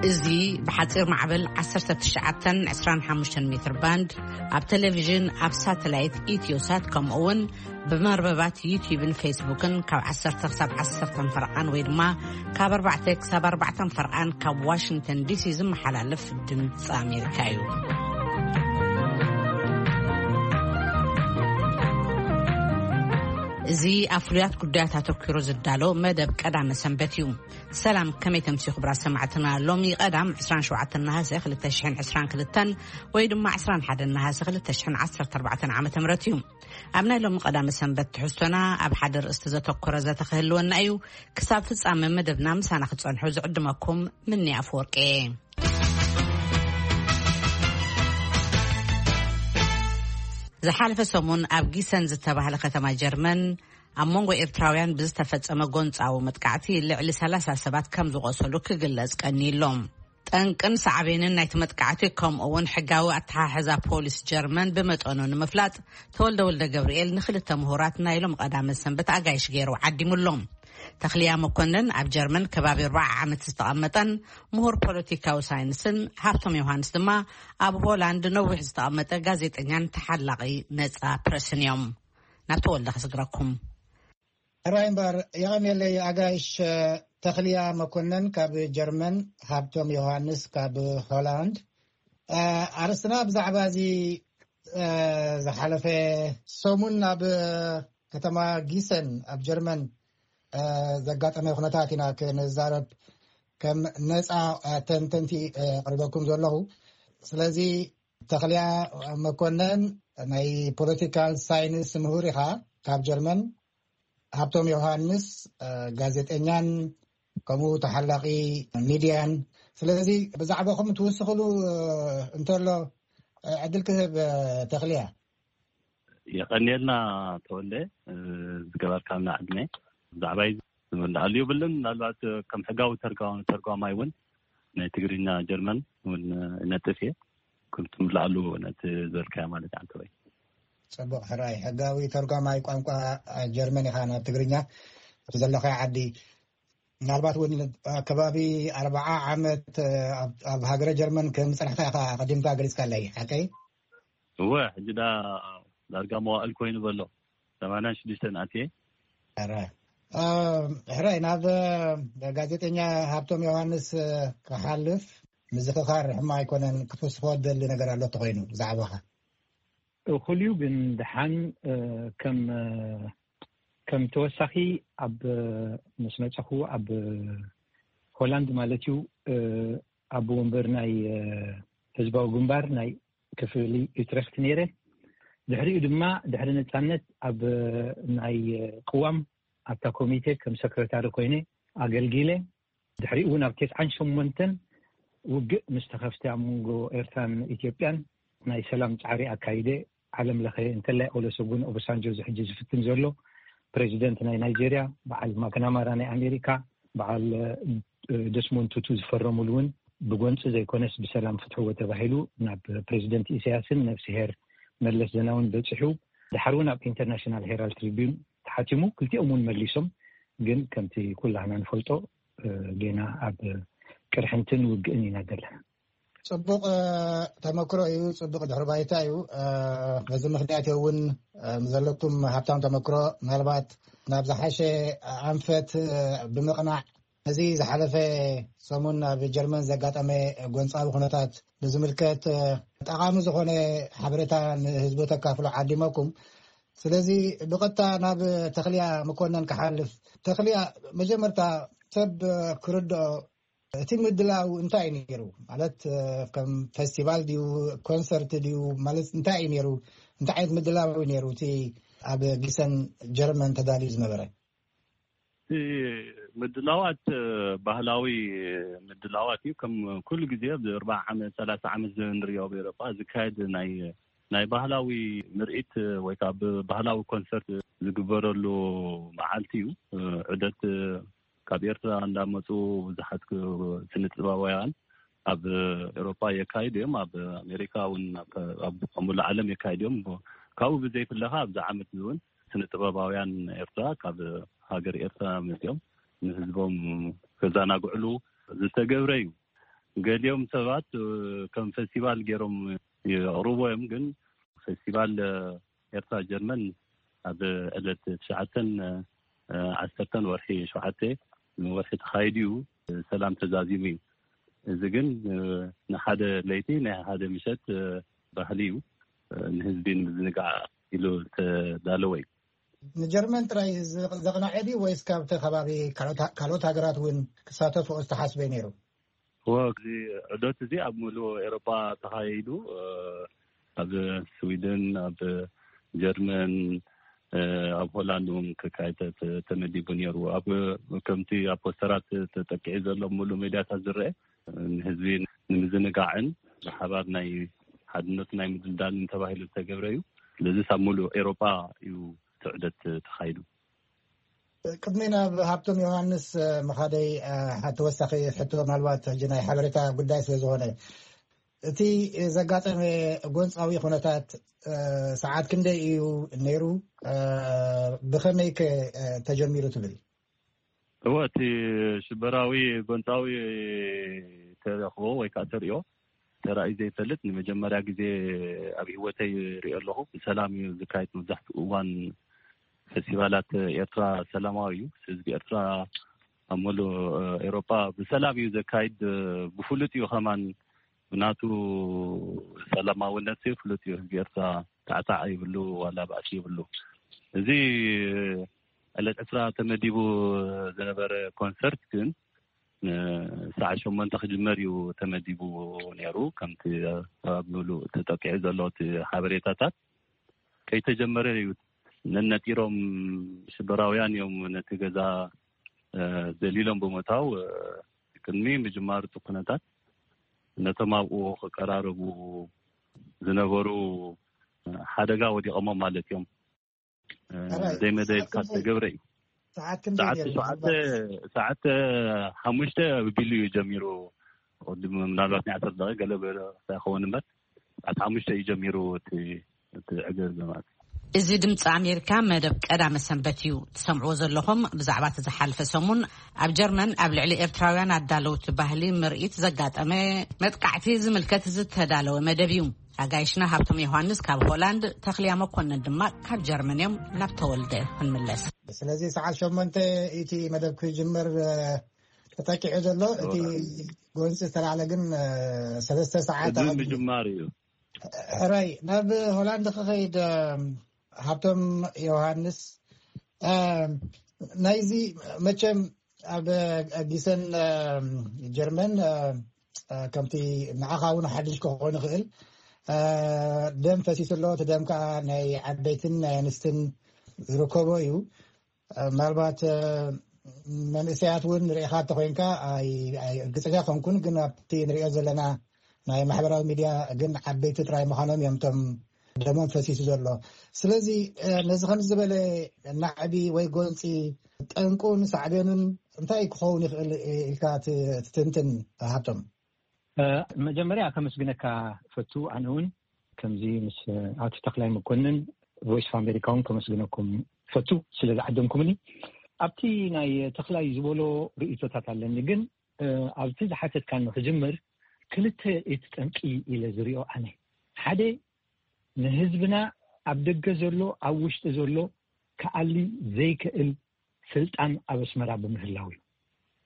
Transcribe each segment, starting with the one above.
እዚ ብሓጺር ማዕበል ዓሰርተ ትሽዓተን ዕስራን ሓሙሽተን ሜትር ባንድ፣ ኣብ ቴሌቪዥን፣ ኣብ ሳተላይት ኢትዮሳት፣ ከምኡ እውን ብመርበባት ዩቲዩብን ፌስቡክን ካብ ዓሰርተ ክሳብ ዓሰርተ ፈርቓን ወይ ድማ ካብ ኣርባዕተ ክሳብ ኣርባዕተ ፈርቓን ካብ ዋሽንግተን ዲሲ ዝመሓላለፍ ድምፂ ኣሜሪካ እዩ። እዚ ኣብ ፍሉያት ጉዳያት ኣተኲሩ ዝዳሎ መደብ ቀዳመ ሰንበት እዩ። ሰላም፣ ከመይ ተምሲ ክቡራት ሰማዕትና? ሎሚ ቀዳም ዕስራን ሸውዓተን ነሃሰ ክልተ ሽሕን ዕስራን ክልተን ወይ ድማ ዕስራን ሓደን ነሃሰ ክልተ ሽሕን ዓሰርተ ኣርባዕተን ዓመተ ምህረት እዩ። ኣብ ናይ ሎሚ ቀዳመ ሰንበት ትሕዝቶና ኣብ ሓደ ርእስቲ ዘተኮረ ዘተ ክህልወና እዩ። ክሳብ ፍጻመ መደብና ምሳና ክትጸንሑ ዝዕድመኩም ምኒ ኣፈወርቂ እየ። ዝሓለፈ ሰሙን ኣብ ጊሰን ዝተባህለ ከተማ ጀርመን ኣብ መንጎ ኤርትራውያን ብዝተፈጸመ ጎንጻዊ መጥቃዕቲ ልዕሊ ሰላሳ ሰባት ከም ዝቖሰሉ ክግለጽ ቀኒሎም። ጠንቅን ሳዕቤንን ናይቲ መጥቃዕቲ ከምኡ እውን ሕጋዊ ኣተሓሕዛ ፖሊስ ጀርመን ብመጠኑ ንምፍላጥ ተወልደ ወልደ ገብርኤል ንክልተ ምሁራት ናይ ሎም ቀዳመ ሰንበት ኣጋይሽ ገይሩ ዓዲሙሎም። ተኽልያ መኮንን ኣብ ጀርመን ከባቢ ኣርባዓ ዓመት ዝተቐመጠን ምሁር ፖለቲካዊ ሳይንስን ሃብቶም ዮሃንስ ድማ ኣብ ሆላንድ ነዊሕ ዝተቐመጠ ጋዜጠኛን ተሓላቒ ነጻ ፕረስን እዮም። ናብ ተወልደ ክስግረኩም። ሕራይ እምበር፣ የቐንየለይ ኣጋይሽ። ተኽልያ መኮነን ካብ ጀርመን፣ ሃብቶም ዮሃንስ ካብ ሆላንድ። ኣርስትና ብዛዕባ እዚ ዝሓለፈ ሰሙን ኣብ ከተማ ጊሰን ኣብ ጀርመን ዘጋጠመ ኩነታት ኢና ክንዛረብ ከም ነፃ ተንተንቲ ቅርበኩም ዘለኹ። ስለዚ ተኽልያ መኮነን ናይ ፖለቲካል ሳይንስ ምሁር ኢኻ ካብ ጀርመን። ሃብቶም ዮሃንስ ጋዜጠኛን ከምኡ ተሓላቒ ሚድያን። ስለዚ ብዛዕባኹም ትውስኽሉ እንተሎ ዕድል ክህብ። ተኽልያ። የቐንየልና ተወልደ፣ ዝገበርካልና ዕድመ። ብዛዕባይ ዝምልኣሉ የብልን። ምናልባት ከም ሕጋዊ ተርጓማይ እውን ናይ ትግርኛ ጀርመን እውን እነጥፍ እየ። ክምትምልኣሉ ነቲ ዝበልካዮ ማለት ኣንተ ወይ ጽቡቕ ሕራይ። ሕጋዊ ተርጓማይ ቋንቋ ጀርመን ኢኻ ናብ ትግርኛ እቲ ዘለኻዮ ዓዲ። ምናልባት እውን ከባቢ ኣርባዓ ዓመት ኣብ ሃገረ ጀርመን ከም ዝጸናሕካ ኢኻ ኣቐዲምካ ገሊጽካለይ፣ ሓቀይ? እወ፣ ሕጂ ዳ ዳርጋ መዋእል ኮይኑ በሎ። ሰማንያን ሽዱሽተን ኣትየ። ሕራይ፣ ናብ ጋዜጠኛ ሃብቶም ዮሃንስ ክሓልፍ፣ ምዝኽኻር ሕማ ኣይኮነን። ክትውስኾ ደሊ ነገር ኣሎ ተኾይኑ ብዛዕባኻ? እኹል እዩ፣ ግን ድሓን ከም ከም ተወሳኺ ኣብ ምስ መፀኹ ኣብ ሆላንድ ማለት እዩ፣ ኣብ ወንበር ናይ ህዝባዊ ግንባር ናይ ክፍሊ ዩትረክት ነይረ። ድሕሪኡ ድማ ድሕሪ ነፃነት ኣብ ናይ ቅዋም ኣብታ ኮሚቴ ከም ሰክረታሪ ኮይነ ኣገልጊለ። ድሕሪኡ እውን ኣብ ተስዓን ሸሞንተን ውግእ ምስ ተኸፍተ ኣብ መንጎ ኤርትራን ኢትዮጵያን ናይ ሰላም ጻዕሪ ኣካይደ። ዓለም ለኸ እንተላይ ኦለሰጉን ኦባሳንጆ እዚ ሕጂ ዝፍትን ዘሎ ፕሬዚደንት ናይ ናይጄርያ፣ በዓል ማክናማራ ናይ ኣሜሪካ፣ በዓል ደስሞንድ ቱቱ ዝፈረሙሉ እውን ብጎንፂ ዘይኮነስ ብሰላም ፍትሕዎ ተባሂሉ ናብ ፕሬዚደንት ኢሳያስን ነብስሄር መለስ ዜናውን በፂሑ። ድሓር እውን ኣብ ኢንተርናሽናል ሄራልድ ትሪቢዩን ተሓቲሙ። ክልቲኦም እውን መሊሶም፣ ግን ከምቲ ኩላህና ንፈልጦ ጌና ኣብ ቅርሕንትን ውግእን ኢና ዘለና። ፅቡቕ ተመክሮ እዩ፣ ፅቡቕ ድሕሪ ባይታ እዩ። በዚ ምክንያት እውን ዘለኩም ሃብታም ተመክሮ ምናልባት ናብ ዝሓሸ ኣንፈት ብምቕናዕ፣ እዚ ዝሓለፈ ሰሙን ኣብ ጀርመን ዘጋጠመ ጎንፃዊ ኩነታት ብዝምልከት ጠቓሚ ዝኾነ ሓበሬታ ንህዝቢ ተካፍሎ ዓዲመኩም። ስለዚ ብቐጥታ ናብ ተኽልያ መኮነን ክሓልፍ። ተኽልያ፣ መጀመርታ ሰብ ክርድኦ እቲ ምድላው እንታይ እዩ ነይሩ? ማለት ከም ፌስቲቫል ድዩ፣ ኮንሰርት ድዩ? ማለት እንታይ እዩ ነይሩ? እንታይ ዓይነት ምድላው እዩ ነይሩ እቲ ኣብ ጊሰን ጀርመን ተዳልዩ ዝነበረ? እቲ ምድላዋት ባህላዊ ምድላዋት እዩ። ከም ኩሉ ግዜ ኣብ ኣርባዓ ዓመት፣ ሰላሳ ዓመት ንሪኦ ኣብ ኤውሮጳ ዝካየድ ናይ ናይ ባህላዊ ምርኢት ወይ ከዓ ብባህላዊ ኮንሰርት ዝግበረሉ መዓልቲ እዩ። ዑደት ካብ ኤርትራ እንዳመፁ ብዙሓት ስነ ጥበባውያን ኣብ ኤውሮጳ የካይዱ እዮም። ኣብ ኣሜሪካ እውን ኣብ ሙሉእ ዓለም የካይዱ እዮም። ካብኡ ብዘይፍለኻ ኣብዚ ዓመት እውን ስነ ጥበባውያን ኤርትራ ካብ ሃገር ኤርትራ መፅኦም ንህዝቦም ከዘናግዕሉ ዝተገብረ እዩ። ገሊኦም ሰባት ከም ፈስቲቫል ገይሮም የቕርቦ እዮም። ግን ፈስቲቫል ኤርትራ ጀርመን ኣብ ዕለት ትሽዓተን ዓሰርተን ወርሒ ሸውዓተ ወርሒ ተኻይዱ እዩ። ሰላም ተዛዚሙ እዩ። እዚ ግን ንሓደ ለይቲ ናይ ሓደ ምሸት ባህሊ እዩ። ንህዝቢ ንምዝንጋዕ ኢሉ ዝተዳለወ እዩ። ንጀርመን ጥራይ ዘቕናዐ ድዩ ወይስ ካብቲ ከባቢ ካልኦት ሃገራት እውን ክሳተፍኦ ዝተሓስበ ነይሩ? እዚ ዑደት እዚ ኣብ ሙሉእ ኤሮጳ ተኻይዱ፣ ኣብ ስዊድን፣ ኣብ ጀርመን፣ ኣብ ሆላንድ እውን ክካየድ ተመዲቡ ነይሩ። ኣብ ከምቲ ኣብ ፖስተራት ተጠቂዑ ዘሎ ሙሉእ ሜድያታት ዝረአ ንህዝቢ ንምዝንጋዕን ብሓባር ናይ ሓድነት ናይ ምድልዳልን ተባሂሉ ዝተገብረ እዩ። ስለዚ ኣብ ሙሉእ ኤሮጳ እዩ እቲ ዑደት ተኻይዱ። ቅድሚ ናብ ሃብቶም ዮሃንስ ምኻደይ፣ ተወሳኺ ሕቶ፣ ምናልባት ሕጂ ናይ ሓበሬታ ጉዳይ ስለ ዝኾነ፣ እቲ ዘጋጠመ ጎንፃዊ ኩነታት ሰዓት ክንደይ እዩ ነይሩ? ብኸመይ ከ ተጀሚሩ ትብል? እወ፣ እቲ ሽበራዊ ጎንፃዊ ተረኽቦ ወይ ከዓ ተሪኦ ተራእዩ ዘይፈልጥ፣ ንመጀመርያ ግዜ ኣብ ህይወተይ ሪኦ ኣለኹ። ብሰላም እዩ ዝካየድ። መብዛሕትኡ እዋን ፈስቲቫላት ኤርትራ ሰላማዊ እዩ። ህዝቢ ኤርትራ ኣብ ሙሉእ ኤሮጳ ብሰላም እዩ ዘካይድ። ብፍሉጥ እዩ ከማን ብናቱ ሰላማዊነት ፍሉጥ እዩ። ህዝቢ ኤርትራ ታዕታዕ ይብሉ ዋላ ባእሲ ይብሉ። እዚ ዕለት ዕስራ ተመዲቡ ዝነበረ ኮንሰርት ግን ንሰዓት ሸሞንተ ክጅመር እዩ ተመዲቡ ነይሩ። ከምቲ ኣብ ሙሉእ ተጠቂዑ ዘሎ እቲ ሓበሬታታት ከይተጀመረ እዩ ነነጢሮም ሽበራውያን እዮም ነቲ ገዛ ዘሊሎም ብምእታው ቅድሚ ምጅማሩ እቲ ኩነታት ነቶም ኣብኡ ክቀራረቡ ዝነበሩ ሓደጋ ወዲቐሞም ማለት እዮም። ዘይመደብካ ዝተገብረ እዩ። ሰዓት ሸውዓተ፣ ሰዓት ሓሙሽተ ቢሉ እዩ ጀሚሩ። ቅድሚ ምናልባት ናይ ዓሰርተ ደቂቕ ገለ ክኸውን እምበር ሰዓት ሓሙሽተ እዩ ጀሚሩ እቲ እቲ ዕግርግር ማለት እዩ። እዚ ድምፂ ኣሜሪካ መደብ ቀዳመ ሰንበት እዩ ትሰምዕዎ ዘለኹም። ብዛዕባ እቲ ዝሓለፈ ሰሙን ኣብ ጀርመን ኣብ ልዕሊ ኤርትራውያን ኣዳለውቲ ባህሊ ምርኢት ዘጋጠመ መጥቃዕቲ ዝምልከት ዝተዳለወ መደብ እዩ። ኣጋይሽና ሃብቶም ዮሃንስ ካብ ሆላንድ፣ ተኽልያ መኮንን ድማ ካብ ጀርመን እዮም። ናብ ተወልደ ክንምለስ። ስለዚ ሰዓት ሸሞንተ እቲ መደብ ክጅምር ተጠቂዑ ዘሎ። እቲ ጎንፂ ዝተላዕለ ግን ሰለስተ ሰዓት ምጅማር እዩ። ሕራይ ናብ ሆላንድ ክኸይድ፣ ሃብቶም ዮሃንስ፣ ናይዚ መቸም ኣብ ጊሰን ጀርመን ከምቲ ንዓኻ እውን ሓድሽ ክኾን ይኽእል፣ ደም ፈሲሱ ኣሎ። እቲ ደም ከዓ ናይ ዓበይትን ናይ ኣንስትን ዝርከቦ እዩ። ምናልባት መንእሰያት እውን ርኢኻ እንተኮይንካ፣ እርግፀኛ ኮንኩን፣ ግን ኣብቲ ንሪኦ ዘለና ናይ ማሕበራዊ ሚድያ ግን ዓበይቲ ጥራይ ምዃኖም እዮም እቶም ደሞም ፈሲሱ ዘሎ። ስለዚ ነዚ ከም ዝበለ ናዕቢ ወይ ጎንፂ ጠንቁን ሳዕቤኑን እንታይ ክኸውን ይኽእል ኢልካ ትትንትን? ሃብቶም፣ መጀመርያ ከመስግነካ ፈቱ። ኣነ እውን ከምዚ ምስ ኣቶ ተኽላይ መኮንን ቮይስ ኦፍ ኣሜሪካ እውን ከመስግነኩም ፈቱ ስለ ዝዓደምኩምኒ። ኣብቲ ናይ ተኽላይ ዝበሎ ርእይቶታት ኣለኒ፣ ግን ኣብቲ ዝሓተትካኒ ክጅምር፣ ክልተ እቲ ጠንቂ ኢለ ዝሪኦ ኣነ። ሓደ፣ ንህዝብና ኣብ ደገ ዘሎ ኣብ ውሽጢ ዘሎ ክኣሊ ዘይክእል ስልጣን ኣብ ኣስመራ ብምህላው እዩ።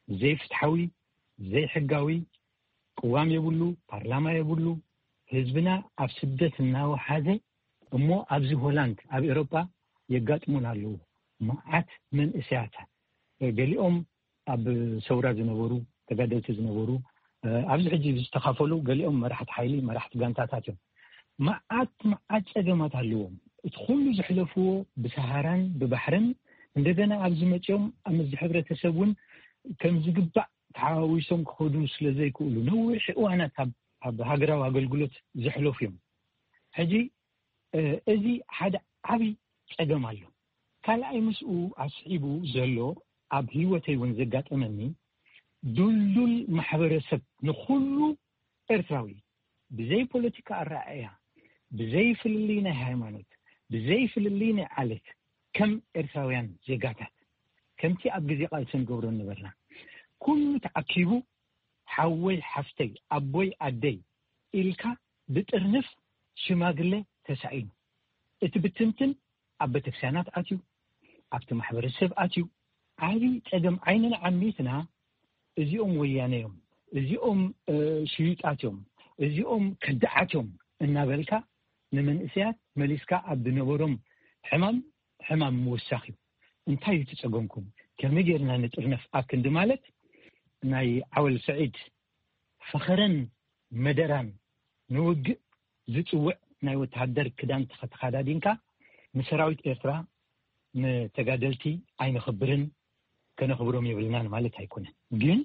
ዘይፍትሓዊ፣ ዘይሕጋዊ፣ ቅዋም የብሉ፣ ፓርላማ የብሉ። ህዝብና ኣብ ስደት እናወሓዘ እሞ ኣብዚ ሆላንድ ኣብ ኤሮጳ የጋጥሙን ኣለዉ። መዓት መንእሰያት፣ ገሊኦም ኣብ ሰውራ ዝነበሩ፣ ተጋደልቲ ዝነበሩ፣ ኣብዚ ሕጂ ዝተኻፈሉ፣ ገሊኦም መራሕቲ ሓይሊ፣ መራሕቲ ጋንታታት እዮም። መዓት መዓት ጸገማት ኣለዎም። እቲ ኩሉ ዘሕለፍዎ ብሰሃራን ብባሕርን፣ እንደገና ኣብዚ መጺኦም ኣብ ምዚ ሕብረተሰብ እውን ከም ዝግባእ ተሓዋዊሶም ክኸዱ ስለ ዘይክእሉ፣ ነዊሕ እዋናት ኣብ ሃገራዊ ኣገልግሎት ዘሕለፉ እዮም። ሕጂ እዚ ሓደ ዓብዪ ጸገም ኣሎ። ካልኣይ፣ ምስኡ ኣስዒቡ ዘሎ ኣብ ህይወተይ እውን ዘጋጠመኒ፣ ድልዱል ማሕበረሰብ ንኹሉ ኤርትራዊ፣ ብዘይ ፖለቲካ ኣረኣእያ፣ ብዘይ ፍልልይ ናይ ሃይማኖት፣ ብዘይ ፍልልይ ናይ ዓሌት፣ ከም ኤርትራውያን ዜጋታት፣ ከምቲ ኣብ ግዜ ቃልሲ ንገብሮ ነበርና፣ ኩሉ ተኣኪቡ ሓወይ ሓፍተይ ኣቦይ ኣደይ ኢልካ ብጥርንፍ ሽማግሌ ተሳኢኑ። እቲ ብትንትን ኣብ ቤተክርስትያናት ኣትዩ፣ ኣብቲ ማሕበረሰብ ኣትዩ። ዓብዪ ጸገም ዓይንና ዓሚትና እዚኦም ወያነ እዮም፣ እዚኦም ሽዩጣት እዮም፣ እዚኦም ከዳዓት እዮም እናበልካ ንመንእሰያት መሊስካ ኣብ ዝነበሮም ሕማም ሕማም ምውሳኽ እዩ። እንታይ እዩ ትጸገምኩም? ከመይ ጌርና ንጥርነፍ ኣብ ክንዲ ማለት ናይ ዓወል ስዒድ ፈኸረን መደራን ንውግእ ዝጽውዕ ናይ ወተሃደር ክዳን ተኸ- ተኸዳዲንካ ንሰራዊት ኤርትራ ንተጋደልቲ ኣይነኽብርን፣ ከነኽብሮም የብልናን ማለት ኣይኮነን። ግን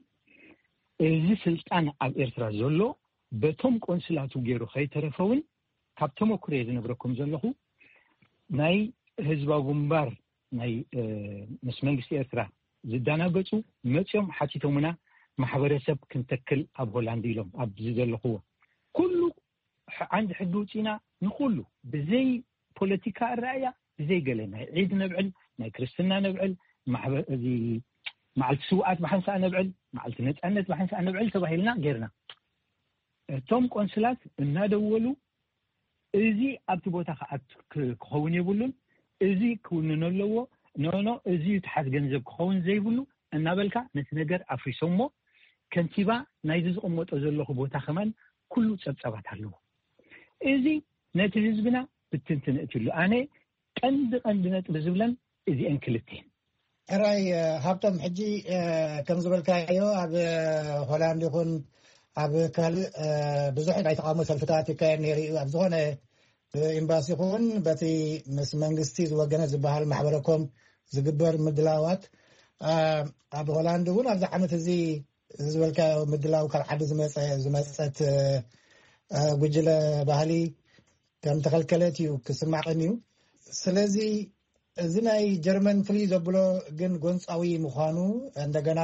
እዚ ስልጣን ኣብ ኤርትራ ዘሎ በቶም ቆንስላቱ ገይሩ ከይተረፈ እውን ካብ ተመኩሮ እየ ዝነግረኩም ዘለኹ። ናይ ህዝባዊ ግንባር ናይ ምስ መንግስቲ ኤርትራ ዝዳናገጹ መጽኦም ሓቲቶምና ማሕበረሰብ ክንተክል ኣብ ሆላንድ ኢሎም ኣብዚ ዘለኽዎ ኩሉ ዓንዲ ሕጊ ውፅኢና ንኩሉ ብዘይ ፖለቲካ ኣረኣያ ብዘይ ገለ ናይ ዒድ ነብዕል፣ ናይ ክርስትና ነብዕል፣ እዚ መዓልቲ ስውኣት ብሓንሳእ ነብዕል፣ መዓልቲ ነፃነት ብሓንሳእ ነብዕል ተባሂልና ጌርና። እቶም ቆንስላት እናደወሉ እዚ ኣብቲ ቦታ ክኣቱ ክኸውን የብሉን፣ እዚ ክውንን ኣለዎ፣ ኖኖ እዚ ትሓት ገንዘብ ክኸውን ዘይብሉ እናበልካ ነቲ ነገር ኣፍሪሶሞ። ከንቲባ ናይዚ ዝቕመጦ ዘለኹ ቦታ ከማን ኩሉ ጸብጻባት ኣለዎ። እዚ ነቲ ህዝብና ብትንትን እትሉ ኣነ ቀንዲ ቀንዲ ነጥቢ ዝብለን እዚአን ክልቴን። ሕራይ ሃብቶም፣ ሕጂ ከም ዝበልካዮ ኣብ ሆላንድ ይኹን ኣብ ካልእ ብዙሕ ናይ ተቃውሞ ሰልፍታት ይካየድ ነይሩ እዩ። ኣብ ዝኾነ ብኤምባሲ ይኹን በቲ ምስ መንግስቲ ዝወገነ ዝበሃል ማሕበረኮም ዝግበር ምድላዋት ኣብ ሆላንድ እውን ኣብዚ ዓመት እዚ ዝበልካዮ ምድላው ካብ ዓዲ ዝመፀ ዝመፀት ጉጅለ ባህሊ ከም ተኸልከለት እዩ ክስማዕን እዩ። ስለዚ እዚ ናይ ጀርመን ፍልይ ዘብሎ ግን ጎንፃዊ ምዃኑ እንደገና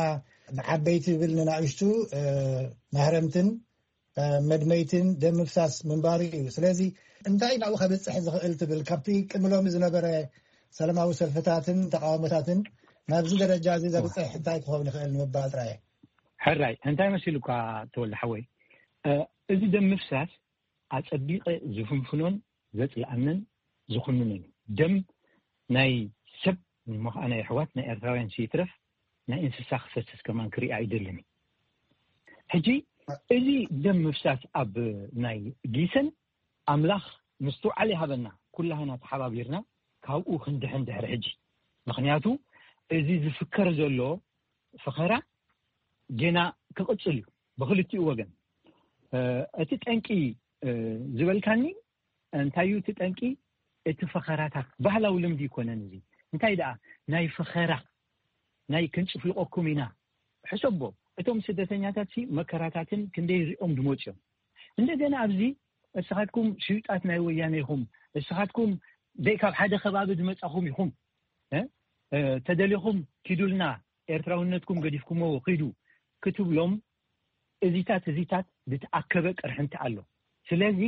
ንዓበይቲ ብል ንናእሽቱ ማህረምትን መድመይትን ደም ምፍሳስ ምንባሩ እዩ። ስለዚ እንታይ ናብኡ ከብፅሕ ዝኽእል ትብል? ካብቲ ቅምሎም ዝነበረ ሰላማዊ ሰልፍታትን ተቃውሞታትን ናብዚ ደረጃ እዚ ዘብፅሕ እንታይ ክኸውን ይኽእል ንምባል ጥራየ። ሕራይ እንታይ መሲሉካ ተወልደ ሓወይ፣ እዚ ደም ምፍሳስ ኣጸቢቐ ዝፍንፍኖን ዘጽልኣንን ዝኹንንን እዩ። ደም ናይ ሰብ እሞ ኸኣ ናይ ኣሕዋት ናይ ኤርትራውያን ስይትረፍ ናይ እንስሳ ክፈስስ ከማን ክርኢ ኣይደልን እዩ። ሕጂ እዚ ደም ምፍሳስ ኣብ ናይ ጊሰን ኣምላኽ ምስትውዓል ይሃበና፣ ኩላህና ተሓባቢርና ካብኡ ክንድሕን ድሕሪ ሕጂ። ምኽንያቱ እዚ ዝፍከር ዘሎ ፈኸራ ጌና ክቕጽል እዩ ብኽልቲኡ ወገን። እቲ ጠንቂ ዝበልካኒ እንታይ እዩ እቲ ጠንቂ? እቲ ፈኸራታት ባህላዊ ልምዲ ይኮነን። እዚ እንታይ ደኣ ናይ ፈኸራ ናይ ክንጭፍልቆኩም ኢና። ሕሰቦ፣ እቶም ስደተኛታት ሲ መከራታትን ክንደይ ሪኦም ድመጽዮም። እንደገና ኣብዚ እስኻትኩም ሽዩጣት ናይ ወያነ ኢኹም፣ እስኻትኩም ደይ ካብ ሓደ ከባቢ ዝመጻኹም ኢኹም፣ ተደሊኹም ኪዱልና፣ ኤርትራውነትኩም ገዲፍኩሞ ኪዱ ክትብሎም፣ እዚታት እዚታት ዝተኣከበ ቅርሕንቲ ኣሎ። ስለዚ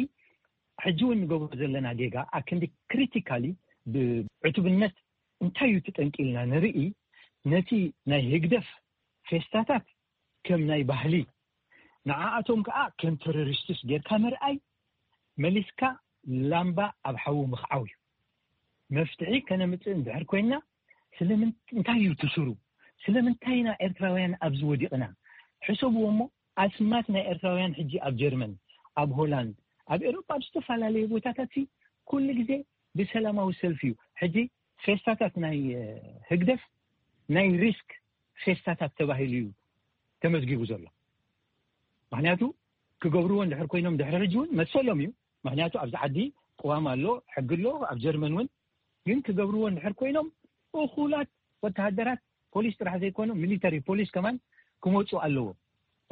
ሕጂ እውን ንገብሮ ዘለና ጌጋ ኣክንዲ ክሪቲካሊ ብዕቱብነት እንታይ እዩ ትጠንቂ ኢልና ንርኢ። ነቲ ናይ ህግደፍ ፌስታታት ከም ናይ ባህሊ፣ ንዓኣቶም ከዓ ከም ተሮሪስትስ ጌርካ ምርኣይ፣ መሊስካ ላምባ ኣብ ሓዊ ምኽዓው እዩ። መፍትሒ ከነምፅእ እንድሕር ኮይና ስለምንታይ እዩ ትስሩ? ስለምንታይ ኢና ኤርትራውያን ኣብዚ ወዲቕና? ሕሰብዎ እሞ ኣስማት ናይ ኤርትራውያን ሕጂ ኣብ ጀርመን፣ ኣብ ሆላንድ፣ ኣብ ኤሮጳ ኣብ ዝተፈላለዩ ቦታታት ኩሉ ግዜ ብሰላማዊ ሰልፊ እዩ። ሕጂ ፌስታታት ናይ ህግደፍ ናይ ሪስክ ፌስታታት ተባሂሉ እዩ ተመዝጊቡ ዘሎ። ምክንያቱ ክገብርዎ እንድሕር ኮይኖም ድሕሪ ሕጂ እውን መሰሎም እዩ። ምክንያቱ ኣብዚ ዓዲ ቅዋም ኣሎ፣ ሕጊ ኣሎ። ኣብ ጀርመን እውን ግን ክገብርዎ እንድሕር ኮይኖም እኹላት ወተሃደራት ፖሊስ ጥራሕ ዘይኮኑ ሚሊተሪ ፖሊስ ከማን ክመፁ ኣለዎ።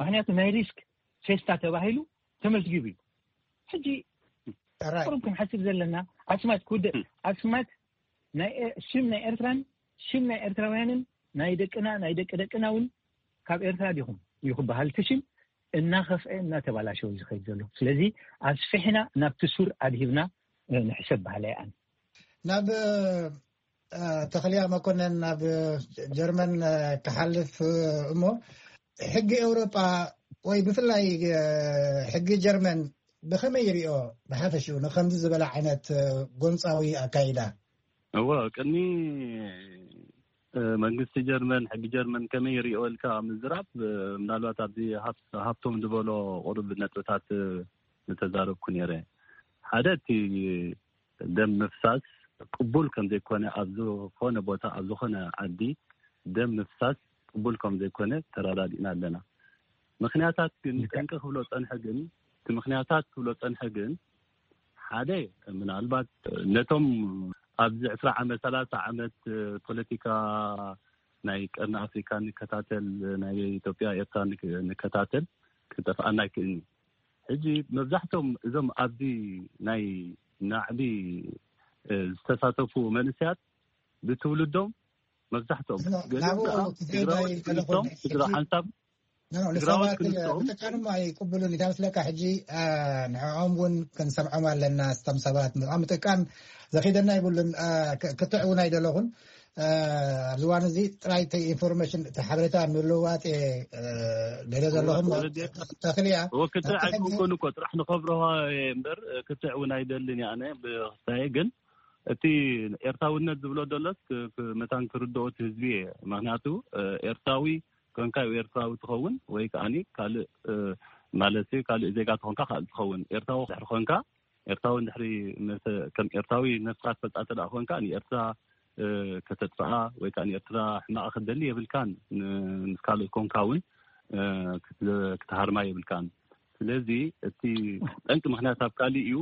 ምክንያቱ ናይ ሪስክ ፌስታ ተባሂሉ ተመዝጊቡ እዩ። ሕጂ ቁሩብ ክንሓስብ ዘለና ኣስማት ክውደእ ኣስማት ሽም ናይ ኤርትራን ሽም ናይ ኤርትራውያንን ናይ ደቅና ናይ ደቂ ደቅና እውን ካብ ኤርትራ ዲኹም እዩ ክበሃል እቲ ሽም እናኸፍአ እናተባላሸወ ዝኸይድ ዘሎ። ስለዚ ኣስፊሕና ናብቲ ሱር ኣድሂብና ንሕሰብ በሃላይ ኣነ። ናብ ተኽልያ መኮነን ናብ ጀርመን ክሓልፍ እሞ ሕጊ ኤውሮጳ ወይ ብፍላይ ሕጊ ጀርመን ብኸመይ ይሪኦ ብሓፈሽኡ ንከምዚ ዝበለ ዓይነት ጎንፃዊ ኣካይዳ? እወ ቅድሚ መንግስቲ ጀርመን ሕጊ ጀርመን ከመይ ይሪኦ ኢልካ ምዝራብ ምናልባት ኣብዚ ሃብቶም ዝበሎ ቁሩብ ነጥብታት ምተዛረብኩ ነይረ። ሓደ እቲ ደም ምፍሳስ ቅቡል ከም ዘይኮነ ኣብ ዝኾነ ቦታ ኣብ ዝኾነ ዓዲ ደም ምፍሳስ ቅቡል ከም ዘይኮነ ተረዳዲእና ኣለና። ምክንያታት ግን ጠንቂ ክብሎ ፀንሐ ግን እቲ ምክንያታት ክብሎ ፀንሐ ግን ሓደ ምናልባት ነቶም ኣብዚ ዕስራ ዓመት ሰላሳ ዓመት ፖለቲካ ናይ ቀርኒ ኣፍሪካ ንከታተል ናይ ኢትዮጵያ ኤርትራ ንከታተል ክጠፍኣና ኣይክእልን። ሕጂ መብዛሕቶም እዞም ኣብዚ ናይ ናዕቢ ዝተሳተፉ መንስያት ብትውልዶም መብዛሕቶም ገሊኦም ከዓ ትግራዎት ክልቶም ስድራ ሓንሳብ ትግራዎት ክልቶም ምጥቃን እሞ ኣይቅብሉን እዩ። ታመስለካ ሕጂ ንዕኦም እውን ክንሰምዖም ኣለና። ስቶም ሰባት ምጥቃን ዘኺደና ይብሉን ክትዕ እውን ኣይደለኹን። ኣብዚ እዋን እዚ ጥራይ ኢንፎርሜሽን እቲ ሓበሬታ ምልውዋጥ ገለ ዘለኹም ተኽልያ ክትዕ ኣይኮንኩን እኮ ጥራሕ ንኸብረሃ እምበር ክትዕ እውን ኣይደልን እየ ኣነ ብክስታየ። ግን እቲ ኤርትራውነት ዝብሎ ደሎስ መታን ክርድኦ እቲ ህዝቢ እየ። ምክንያቱ ኤርትራዊ ኮንካ ኤርትራዊ ትኸውን ወይ ከዓኒ ካልእ ማለት ካልእ ዜጋ ትኾንካ ካልእ ትኸውን። ኤርትራዊ ድሕሪ ኮንካ ኤርትራዊ ድሕሪ ከም ኤርትራዊ ነፍስካ ትፈልጣ ተደኣ ኮንካ ንኤርትራ ከተጥፍኣ ወይ ከዓ ንኤርትራ ሕማቕ ክትደሊ የብልካን። ምስ ካልእ ኮንካ እውን ክትሃርማ የብልካን። ስለዚ እቲ ጠንቂ ምክንያት ኣብ ካልእ እዩ፣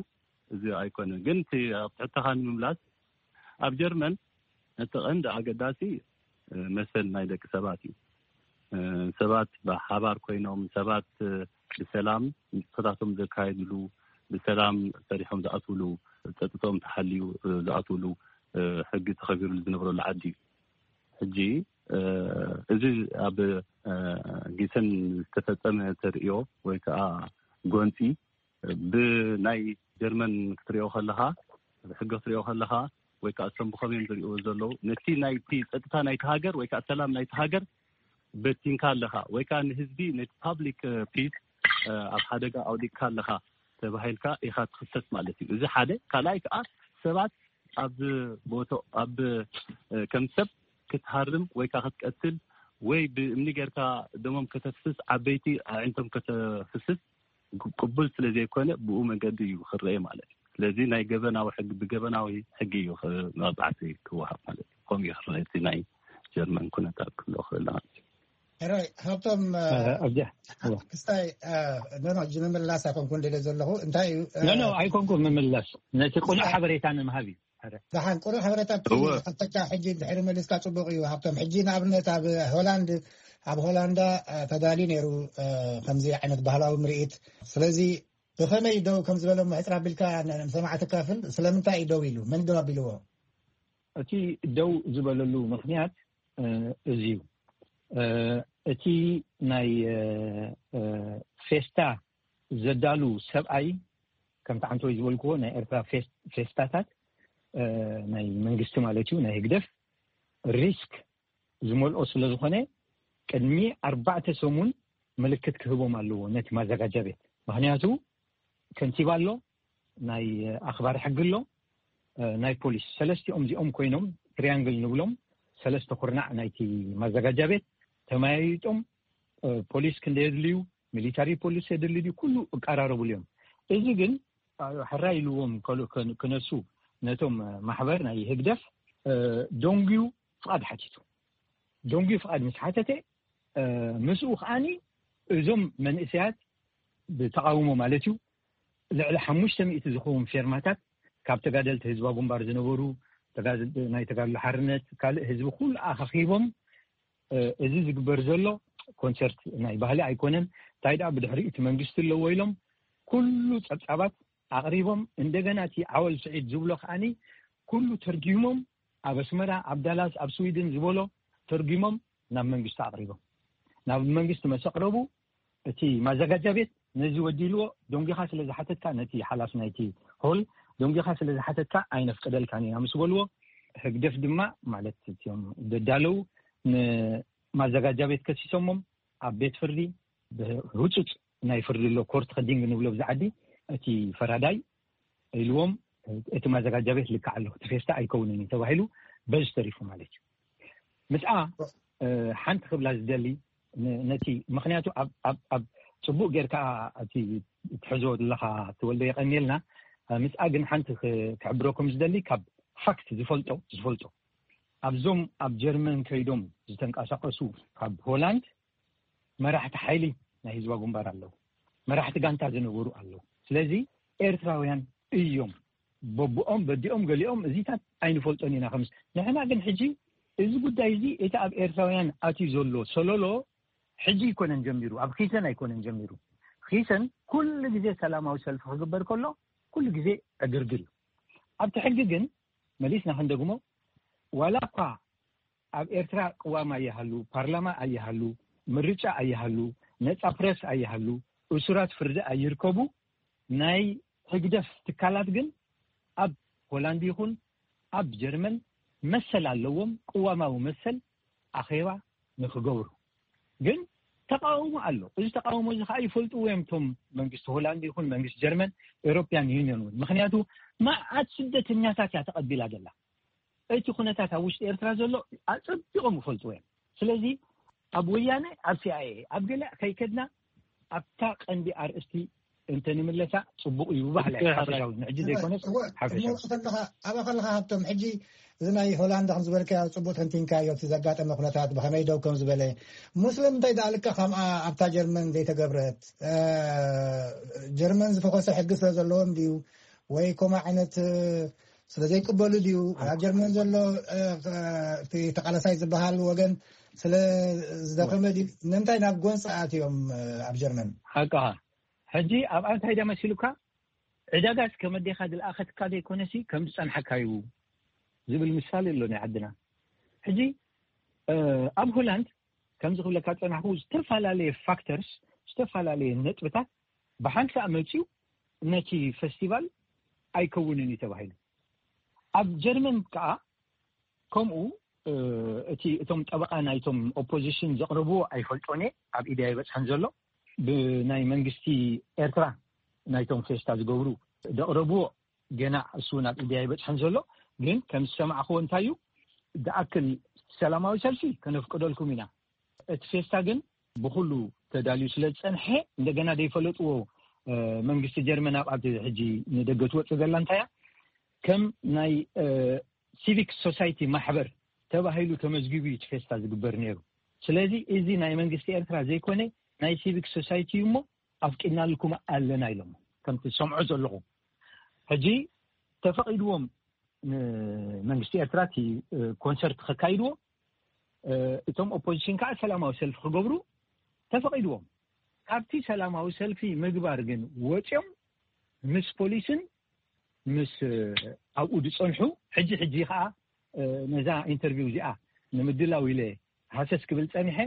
እዚ ኣይኮነን። ግን እቲ ኣብ ትሕተኻ ንምምላስ ኣብ ጀርመን እቲ ቀንዲ ኣገዳሲ መሰል ናይ ደቂ ሰባት እዩ። ሰባት ብሓባር ኮይኖም ሰባት ብሰላም ንጥፈታቶም ዘካየድሉ፣ ብሰላም ሰሪሖም ዝኣትውሉ፣ ፀጥቶም ተሓልዩ ዝኣትውሉ ሕጊ ተኸቢሩሉ ዝነብረሉ ዓዲ እዩ። ሕጂ እዚ ኣብ ጊሰን ዝተፈፀመ ተርእዮ ወይ ከዓ ጎንፂ ብናይ ጀርመን ክትሪኦ ከለኻ ብሕጊ ክትሪኦ ከለኻ ወይ ከዓ እቶም ብኸመዮም ዝሪእዎ ዘለዉ ነቲ ናይቲ ፀጥታ ናይቲ ሃገር ወይ ከዓ ሰላም ናይቲ ሃገር በቲንካ ኣለኻ ወይ ከዓ ንህዝቢ ነቲ ፓብሊክ ፒስ ኣብ ሓደጋ ኣውዲቅካ ኣለኻ ተባሂልካ ኢኻ ትኽሰስ ማለት እዩ። እዚ ሓደ። ካልኣይ ከዓ ሰባት ኣብ ቦቶ ኣብ ከም ሰብ ክትሃርም ወይ ከዓ ክትቀትል ወይ ብእምኒ ጌርካ ደሞም ከተፍስስ ዓበይቲ ኣዒንቶም ከተፍስስ ቅቡል ስለ ዘይኮነ ብኡ መንገዲ እዩ ክረአ ማለት እዩ። ስለዚ ናይ ገበናዊ ሕጊ ብገበናዊ ሕጊ እዩ መቕፃዕቲ ክወሃብ ማለት እዩ። ከምኡ እዩ ክረአ እቲ ናይ ጀርመን ኩነታት ክብሎ ክእል ማለት እዩ። ሕራይ ሃብቶም ኣብዚኣ ክስታይ ኖኖ እጂ ምምላስ ኣይኮንኩ እንደለ ዘለኹ እንታይ እዩ ኖኖ ኣይኮንኩ ምምላስ ነቲ ቁኑዕ ሓበሬታ ንምሃብ እዩ። ደሓን ቁሩብ ሓበሬታት ሓተካ ሕጂ ድሕሪ መሊስካ ፅቡቅ እዩ። ሃብቶም ሕጂ ንኣብነት ኣብ ሆላንድ ኣብ ሆላንዳ ተዳልዩ ነይሩ ከምዚ ዓይነት ባህላዊ ምርኢት። ስለዚ ብኸመይ ደው ከም ዝበለ ምሕፅር ኣቢልካ ንሰማዕቲ ካፍል ስለምንታይ እዩ ደው ኢሉ? መን ደው ኣቢልዎ? እቲ ደው ዝበለሉ ምክንያት እዚ እዩ። እቲ ናይ ፌስታ ዘዳሉ ሰብኣይ ከምቲ ሓንቲ ወይ ዝበልክዎ ናይ ኤርትራ ፌስታታት ናይ መንግስቲ ማለት እዩ ናይ ህግደፍ ሪስክ ዝመልኦ ስለ ዝኾነ ቅድሚ ኣርባዕተ ሰሙን ምልክት ክህቦም ኣለዎ ነቲ ማዘጋጃ ቤት። ምክንያቱ ከንቲባ ኣሎ፣ ናይ ኣኽባሪ ሕጊ ኣሎ፣ ናይ ፖሊስ ሰለስቲኦም እዚኦም ኮይኖም ትሪያንግል ንብሎም ሰለስተ ኩርናዕ ናይቲ ማዘጋጃ ቤት ተመያይጦም ፖሊስ ክንደ የድልዩ ሚሊታሪ ፖሊስ የድሊ ድዩ ኩሉ እቀራረብሉ እዮም። እዚ ግን ሕራይ ኢልዎም ክነሱ ነቶም ማሕበር ናይ ህግደፍ ደንጉዩ ፍቓድ ሓቲቱ። ደንጉዩ ፍቓድ ምስ ሓተተ ምስኡ ከዓኒ እዞም መንእሰያት ብተቃውሞ ማለት እዩ ልዕሊ ሓሙሽተ ሚእቲ ዝኸውን ፌርማታት ካብ ተጋደልቲ ህዝባዊ ግንባር ዝነበሩ ናይ ተጋድሎ ሓርነት ካልእ ህዝቢ ኩሉ ኣኻኺቦም እዚ ዝግበር ዘሎ ኮንሰርት ናይ ባህሊ ኣይኮነን። እንታይ ደኣ ብድሕሪ እቲ መንግስቲ ኣለዎ ኢሎም ኩሉ ጸብጻባት ኣቕሪቦም እንደገና እቲ ዓወል ስዒድ ዝብሎ ከዓኒ ኩሉ ተርጊሞም ኣብ ኣስመራ ኣብ ዳላስ ኣብ ስዊድን ዝበሎ ተርጊሞም ናብ መንግስቲ ኣቕሪቦም ናብ መንግስቲ መሰቕረቡ እቲ ማዘጋጃ ቤት ነዚ ወዲልዎ ደንጊኻ ስለ ዝሓተትካ ነቲ ሓላፍ ናይቲ ሆል ደንጊኻ ስለ ዝሓተትካ ኣይነፍቅደልካን ኢና ምስ በልዎ ህግደፍ ድማ ማለት እቲኦም ደዳለው ንማዘጋጃ ቤት ከሲሶሞም ኣብ ቤት ፍርዲ ብህፁፅ ናይ ፍርዲ ኣሎ ኮርት ከዲንግ ንብሎ ብዛ ዓዲ እቲ ፈራዳይ ኢልዎም እቲ ማዘጋጃ ቤት ልክዕ ኣለኹ እቲ ፌስታ ኣይከውንን እዩ ተባሂሉ በዚ ተሪፉ ማለት እዩ። ምስኣ ሓንቲ ክብላ ዝደሊ ነቲ ምክንያቱ ኣብ ፅቡቅ ጌርካ እቲ ትሕዞ ዘለካ ትወልደ የቀኒልና ምስኣ ግን ሓንቲ ክሕብረኩም ዝደሊ ካብ ፋክት ዝፈልጦ ዝፈልጦ ኣብዞም ኣብ ጀርመን ከይዶም ዝተንቀሳቀሱ ካብ ሆላንድ መራሕቲ ሓይሊ ናይ ህዝባ ግንባር ኣለዉ፣ መራሕቲ ጋንታ ዝነበሩ ኣለዉ። ስለዚ ኤርትራውያን እዮም በብኦም በዲኦም ገሊኦም እዚታት ኣይንፈልጦን ኢና ከምስ ንሕና ግን ሕጂ እዚ ጉዳይ እዚ እቲ ኣብ ኤርትራውያን ኣትዩ ዘሎ ሰለሎ ሕጂ ኣይኮነን ጀሚሩ፣ ኣብ ኺሰን ኣይኮነን ጀሚሩ። ኺሰን ኩሉ ግዜ ሰላማዊ ሰልፊ ክግበር ከሎ ኩሉ ግዜ ዕግርግር እዩ። ኣብቲ ሕጊ ግን መሊስና ክንደግሞ ዋላ እኳ ኣብ ኤርትራ ቅዋም ኣይሃሉ፣ ፓርላማ ኣይሃሉ፣ ምርጫ ኣይሃሉ፣ ነጻ ፕረስ ኣይሃሉ፣ እሱራት ፍርዲ ኣይርከቡ፣ ናይ ህግደፍ ትካላት ግን ኣብ ሆላንድ ይኹን ኣብ ጀርመን መሰል ኣለዎም፣ ቅዋማዊ መሰል ኣኼባ ንክገብሩ። ግን ተቃውሞ ኣሎ። እዚ ተቃውሞ እዚ ከዓ ይፈልጥዎ እዮም እቶም መንግስቲ ሆላንድ ይኹን መንግስቲ ጀርመን፣ ኤሮፕያን ዩኒዮን እውን። ምክንያቱ መዓት ስደተኛታት እያ ተቐቢላ ዘላ። እቲ ኩነታት ኣብ ውሽጢ ኤርትራ ዘሎ ኣጸቢቖም ይፈልጥዎ እዮም። ስለዚ ኣብ ወያነ ኣብ ሲኣይኤ ኣብ ገለ ከይከድና ኣብታ ቀንዲ ኣርእስቲ እንተንምለሳ ጽቡቕ እዩ ብባህለ ሓፈሻዊ ንሕጂ ዘይኮነስ ሓፈሻዊ ከለኻ ኣብኣ ከለኻ ሃብቶም ሕጂ እዚ ናይ ሆላንድ ከም ዝበልካዮ ጽቡቕ ተንቲንካዮ እቲ ዘጋጠመ ኩነታት ብኸመይ ደው ከም ዝበለ ሙስሊም እንታይ ደኣ ልካ ከምኣ ኣብታ ጀርመን ዘይተገብረት ጀርመን ዝፈኾሰ ሕጊ ስለ ዘለዎም ድዩ ወይ ከምኡ ዓይነት ስለ ዘይቅበሉ ድዩ ኣብ ጀርመን ዘሎ ተቃለሳይ ዝበሃል ወገን ስለ ዝደኸመ ድዩ ንምንታይ ናብ ጎንፂ ኣትዮም ኣብ ጀርመን? ሓቅኻ ሕጂ ኣብኣ እንታይ ዳ መሲሉካ ዕዳጋስ ከመዴኻ ዝለኣኸትካ ዘይኮነሲ ከም ዝፀንሓካ እዩ ዝብል ምሳሌ ኣሎ ናይ ዓድና። ሕጂ ኣብ ሆላንድ ከምዚ ክብለካ ዝፀናሕኩ ዝተፈላለየ ፋክተርስ ዝተፈላለየ ነጥብታት ብሓንሳእ መፅዩ ነቲ ፈስቲቫል ኣይከውንን እዩ ተባሂሉ። ኣብ ጀርመን ከዓ ከምኡ እቲ እቶም ጠበቃ ናይቶም ኦፖዚሽን ዘቅረብዎ ኣይፈልጦን እየ ኣብ ኢደይ ኣይበፅሐን ዘሎ ብናይ መንግስቲ ኤርትራ ናይቶም ፌስታ ዝገብሩ ዘቅረብዎ ገና እሱ እውን ኣብ ኢደይ ኣይበፅሐን ዘሎ ግን ከም ዝሰማዕክዎ እንታይ እዩ ዝኣክል ሰላማዊ ሰልፊ ከነፍቅደልኩም ኢና እቲ ፌስታ ግን ብኩሉ ተዳልዩ ስለ ዝፀንሐ እንደገና ዘይፈለጥዎ መንግስቲ ጀርመን ኣብ ኣብዚ ሕጂ ንደገ ትወፅእ ዘላ እንታይ እያ ከም ናይ ሲቪክ ሶሳይቲ ማሕበር ተባሂሉ ተመዝጊቡ እዩ እቲ ፌስታ ዝግበር ነይሩ። ስለዚ እዚ ናይ መንግስቲ ኤርትራ ዘይኮነ ናይ ሲቪክ ሶሳይቲ እዩ እሞ ኣፍቂድናልኩም ኣለና ኢሎም ከምቲ ዝሰምዖ ዘለኹ ሕጂ ተፈቒድዎም ንመንግስቲ ኤርትራ እቲ ኮንሰርት ከካይድዎ እቶም ኦፖዚሽን ከዓ ሰላማዊ ሰልፊ ክገብሩ ተፈቒድዎም። ካብቲ ሰላማዊ ሰልፊ ምግባር ግን ወፂኦም ምስ ፖሊስን ምስ ኣብኡ ዝፀንሑ ሕጂ ሕጂ ከዓ ነዛ ኢንተርቪው እዚኣ ንምድላው ኢለ ሃሰስ ክብል ፀኒሐ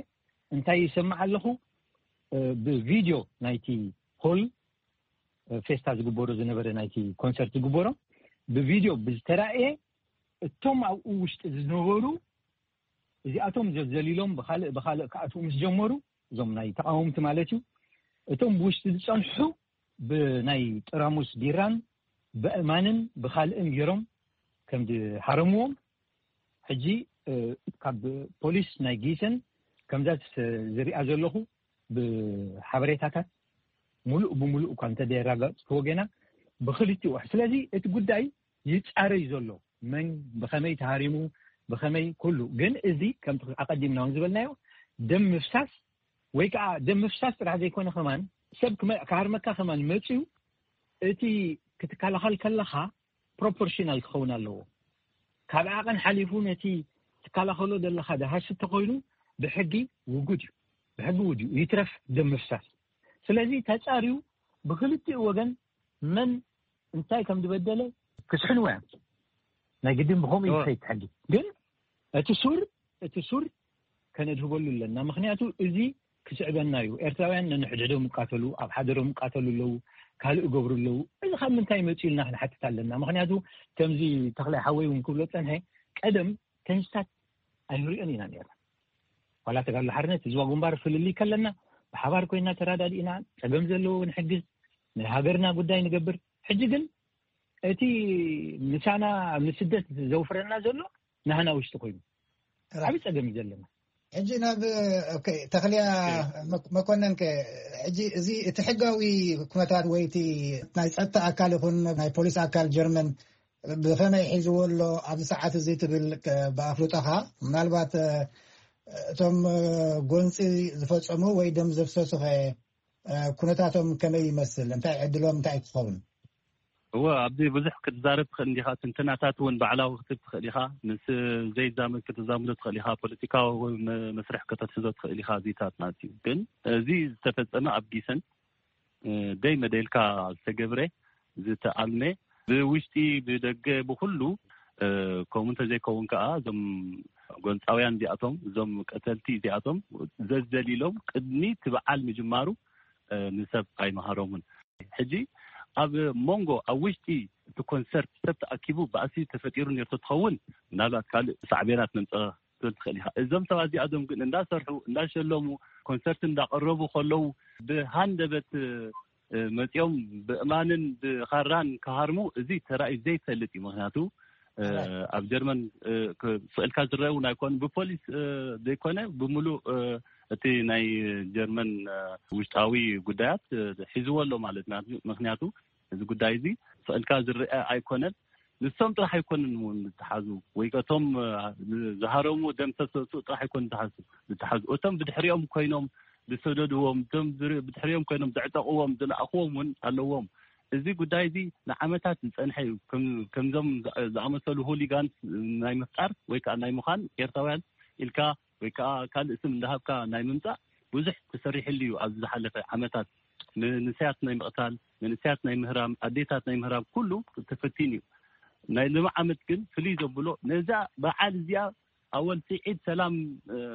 እንታይ ይሰማዕ ኣለኹ ብቪድዮ ናይቲ ሆል ፌስታ ዝግበሮ ዝነበረ ናይቲ ኮንሰርት ዝግበሮ ብቪድዮ ብዝተራእየ እቶም ኣብኡ ውሽጢ ዝነበሩ እዚኣቶም ዘዘሊሎም ብካልእ ብካልእ ክኣትዉ ምስ ጀመሩ እዞም ናይ ተቃወምቲ ማለት እዩ እቶም ብውሽጢ ዝፀንሑ ብናይ ጥራሙስ ቢራን ብእማንን ብካልእን ገይሮም ከም ዝሃረምዎም ሕጂ ካብ ፖሊስ ናይ ጊሰን ከምዛ ዝሪኣ ዘለኹ ብሓበሬታታት ሙሉእ ብሙሉእ እኳ እንተደየራጋፅክዎ ገና ብክልቲኡ ስለዚ እቲ ጉዳይ ይፃረይ ዘሎ መን ብከመይ ተሃሪሙ ብከመይ ኩሉ ግን እዚ ከምቲ ኣቀዲምና እውን ዝበልናዮ ደም ምፍሳስ ወይ ከዓ ደም ምፍሳስ ጥራሕ ዘይኮነ ከማን ሰብ ክሃርመካ ከማን መፅዩ እቲ ክትከላኸል ከለካ ፕሮፖርሽናል ክኸውን ኣለዎ። ካብ ዓቐን ሓሊፉ ነቲ ትከላኸሎ ዘለካ ድሃሲ ተኮይኑ ብሕጊ ውጉድ እዩ። ብሕጊ ውድ እዩ ይትረፍ ደም ምፍሳስ። ስለዚ ተፃርዩ ብክልቲኡ ወገን መን እንታይ ከም ዝበደለ ክስሕንዎ እዮም። ናይ ግድን ብከምኡ እዩ ዝኸይድ ሕጊ። ግን እቲ ሱር እቲ ሱር ከነድህበሉ ኣለና። ምክንያቱ እዚ ክስዕበና እዩ። ኤርትራውያን ነንሕድሕዶም ይቃተሉ፣ ኣብ ሓደሮም ይቃተሉ ኣለዉ፣ ካልእ ይገብሩ ኣለዉ። እዚ ካብ ምንታይ መፂኡ ኢልና ክንሓትት ኣለና። ምክንያቱ ከምዚ ተክላይ ሓወይ እውን ክብሎ ፀንሐ ቀደም ተንስታት ኣይንሪኦን ኢና ነርና። ዋላ ተጋድሎ ሓርነት ህዝባዊ ግንባር ፍልልይ ከለና ብሓባር ኮይና ተራዳዲእና ጸገም ዘለዎ ንሕግዝ፣ ንሃገርና ጉዳይ ንገብር። ሕጂ ግን እቲ ምሳና ኣብ ስደት ዘውፍረና ዘሎ ናህና ውሽጢ ኮይኑ ዓብ ጸገም እዩ ዘለና። ሕጂ ናብ ተኽልያ መኮነን ከ፣ ሕጂ እዚ እቲ ሕጋዊ ኩነታት ወይ እቲ ናይ ጸጥታ ኣካል ይኹን ናይ ፖሊስ ኣካል ጀርመን ብኸመይ ሒዝዎ ኣሎ ኣብዚ ሰዓት እዚ ትብል ብኣፍልጦኻ? ምናልባት እቶም ጎንፂ ዝፈፀሙ ወይ ደም ዘፍሰሱ ከ ኩነታቶም ከመይ ይመስል? እንታይ ዕድሎም እንታይ ክኸውን? እወ፣ ኣብዚ ብዙሕ ክትዛረብ ትኽእል እንዲኻ። ትንተናታት እውን ባዕላዊ ክትብ ትኽእል ኢኻ። ምስ ዘይዛመድ ክትዛምዶ ትኽእል ኢኻ። ፖለቲካዊ መስርሕ ከተትሕዞ ትኽእል ኢኻ። እዚታት ማለት እዩ። ግን እዚ ዝተፈጸመ ኣብ ጊሰን ደይ መደልካ ዝተገብረ ዝተኣልመ ብውሽጢ ብደገ ብኩሉ ከምኡ እንተዘይከውን ከዓ እዞም ጎንፃውያን እዚኣቶም እዞም ቀተልቲ እዚኣቶም ዘዘሊሎም ቅድሚ እቲ በዓል ምጅማሩ ንሰብ ኣይመሃሮምን። ሕጂ ኣብ መንጎ ኣብ ውሽጢ እቲ ኮንሰርት ሰብ ተኣኪቡ ባእሲ ተፈጢሩ ነርቶ ትኸውን ምናልባት ካልእ ሳዕቤናት መምፀ ትብል ትኽእል ኢኻ። እዞም ሰባት እዚኣቶም ግን እንዳሰርሑ እንዳሸለሙ ኮንሰርት እንዳቀረቡ ከለዉ ብሃንደበት መፂኦም ብእማንን ብኻራን ክሃርሙ እዚ ተራእዩ ዘይፈልጥ እዩ። ምክንያቱ ኣብ ጀርመን ስእልካ ዝረአ እውን ኣይኮኑ ብፖሊስ ዘይኮነ ብምሉእ እቲ ናይ ጀርመን ውሽጣዊ ጉዳያት ሒዝዎ ኣሎ ማለት ምክንያቱ እዚ ጉዳይ እዚ ስእልካ ዝረአ ኣይኮነን። ንሶም ጥራሕ ኣይኮንን እውን ዝተሓዙ ወይ ከቶም ዝሃረሙ ደም ተሰሱ ጥራሕ ኣይኮን ዝተሓዙ ዝተሓዙ እቶም ብድሕሪኦም ኮይኖም ዝሰደድዎም እቶም ብድሕሪኦም ኮይኖም ዘዕጠቕዎም ዝለኣኽዎም እውን ኣለዎም። እዚ ጉዳይ እዚ ንዓመታት ዝፀንሐ እዩ። ከምዞም ዝኣመሰሉ ሆሊጋንስ ናይ ምፍጣር ወይ ከዓ ናይ ምዃን ኤርትራውያን ኢልካ ወይ ከዓ ካልእ ስም እንዳሃብካ ናይ ምምፃእ ብዙሕ ተሰሪሕሉ እዩ። ኣብዚ ዝሓለፈ ዓመታት መንእሰያት ናይ ምቕታል መንእሰያት ናይ ምህራም ኣዴታት ናይ ምህራም ኩሉ ተፈቲን እዩ። ናይ ሎሚ ዓመት ግን ፍልይ ዘብሎ ነዛ በዓል እዚኣ ኣወል ስዒድ ሰላም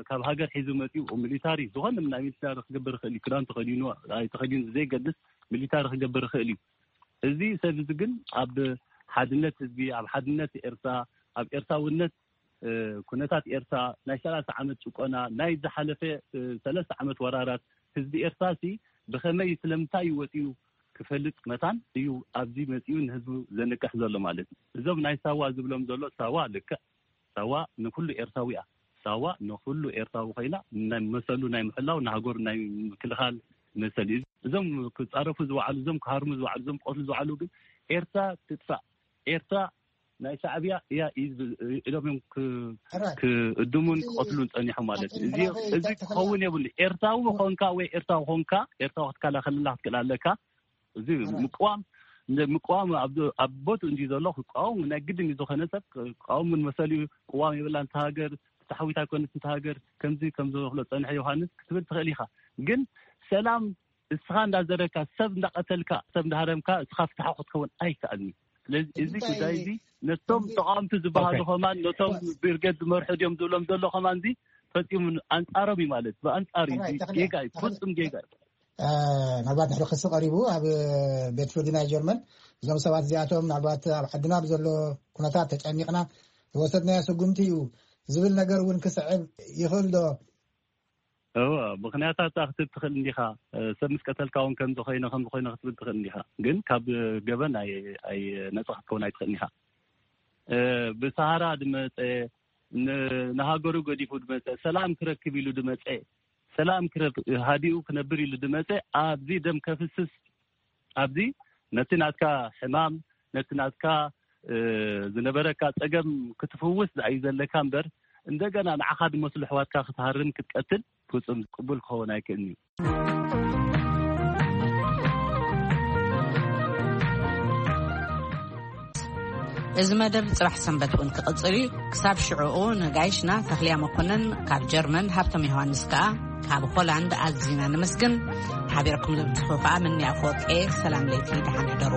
ካብ ሃገር ሒዙ መፂኡ ሚሊታሪ ዝኾነ ናይ ሚሊታሪ ክገብር ይኽእል እዩ። ክዳን ተኸዲኑ ኣይተኸዲኑ ዘይገድስ ሚሊታሪ ክገብር ይኽእል እዩ። እዚ ሰብ እዚ ግን ኣብ ሓድነት ህዝቢ ኣብ ሓድነት ኤርትራ ኣብ ኤርትራውነት ኩነታት ኤርትራ ናይ ሰላሳ ዓመት ጭቆና ናይ ዝሓለፈ ሰለስተ ዓመት ወራራት ህዝቢ ኤርትራ ሲ ብኸመይ ስለምንታይ እዩ ወፂኡ ክፈልጥ መታን እዩ ኣብዚ መፂኡ ንህዝቡ ዘንቅሕ ዘሎ ማለት እዩ። እዞም ናይ ሳዋ ዝብሎም ዘሎ ሳዋ ልክዕ ሳዋ ንኩሉ ኤርትራዊ እያ። ሳዋ ንኩሉ ኤርትራዊ ኮይና ናይ መሰሉ ናይ ምሕላው ንሃገሩ ናይ ምክልኻል መሰል እዩ። እዞም ክፃረፉ ዝወዓሉ እዞም ክሃርሙ ዝወዓሉ እዞም ክቐትሉ ዝወዓሉ ግን ኤርትራ ትጥፋእ ኤርትራ ናይ ሻዕብያ እያ ኢሎም እዮም ክእድሙን ክቐትሉን ፀኒሖም ማለት እዩ። እዚ ክኸውን የብሉ። ኤርትራዊ ኾንካ ወይ ኤርትራዊ ኾንካ ኤርትራዊ ክትከላኸልላ ክትክእል ኣለካ። እዚ ምቅዋም ምቅዋም ኣብ ቦት እንዲ ዘሎ ክቃወም ናይ ግድን እዩ። ዝኾነ ሰብ ክቃወም ምን መሰል እዩ። ቅዋም የብላ እንተ ሃገር ተታሓዊት ኣይኮነት እንተ ሃገር ከምዚ ከም ዝኽሎ ፀንሐ ዮሃንስ ክትብል ትኽእል ኢኻ። ግን ሰላም እስኻ እንዳዘረካ ሰብ እንዳቀተልካ ሰብ እንዳሃረምካ እስኻ ፍትሓዊ ክትከውን ኣይከኣልን እዩ። ስለዚ እዚ ጉዳይ እዚ ነቶም ተቃወምቲ ዝበሃሉ ከማን ነቶም ብርጌድ ዝመርሑ ድዮም ዝብሎም ዘሎ ከማን እዚ ፈፂሙ ኣንፃሮም እዩ ማለት ብኣንፃር እዩ። ጌጋ እዩ፣ ፍፁም ጌጋ እዩ። ምናልባት ንሕሪ ክሲ ቀሪቡ ኣብ ቤት ፍርዲ ናይ ጀርመን እዞም ሰባት እዚኣቶም ምናልባት ኣብ ዓድና ብዘሎ ኩነታት ተጨኒቕና ዝወሰድናዮ ስጉምቲ እዩ ዝብል ነገር እውን ክስዕብ ይኽእል ዶ? እወ፣ ምኽንያታት ክትብ ትኽእል እንዲኻ። ሰብ ምስ ቀተልካ እውን ከምዚ ኮይነ ከምዚ ኮይነ ክትብል ትኽእል እንዲኻ። ግን ካብ ገበን ኣይ ነፃ ክትከውን ኣይትኽእል እንዲኻ። ብሰሃራ ድመፀ ንሃገሩ ገዲፉ ድመፀ ሰላም ክረክብ ኢሉ ድመፀ ሰላም ክረብ ሃዲኡ ክነብር ኢሉ ድመፀ ኣብዚ ደም ከፍስስ ኣብዚ ነቲ ናትካ ሕማም ነቲ ናትካ ዝነበረካ ፀገም ክትፍውስ ዝኣዩ ዘለካ እምበር እንደገና ንዓኻ ድመስሉ ኣሕዋትካ ክትሃርም ክትቀትል ፍፁም ቅቡል ክኸውን ኣይክእልን እዩ። እዚ መደብ ጽባሕ ሰንበት እውን ክቕጽል እዩ። ክሳብ ሽዕኡ ንጋይሽና ተኽልያ መኮነን ካብ ጀርመን፣ ሃብቶም ዮሃንስ ከኣ ካብ ሆላንድ ኣዚና ነመስግን። ሓቢርኩም ዝብትኹ ከኣ ምንያ ኣፈወርቂ እየ። ሰላም ለይቲ፣ ደሓን ሕደሩ።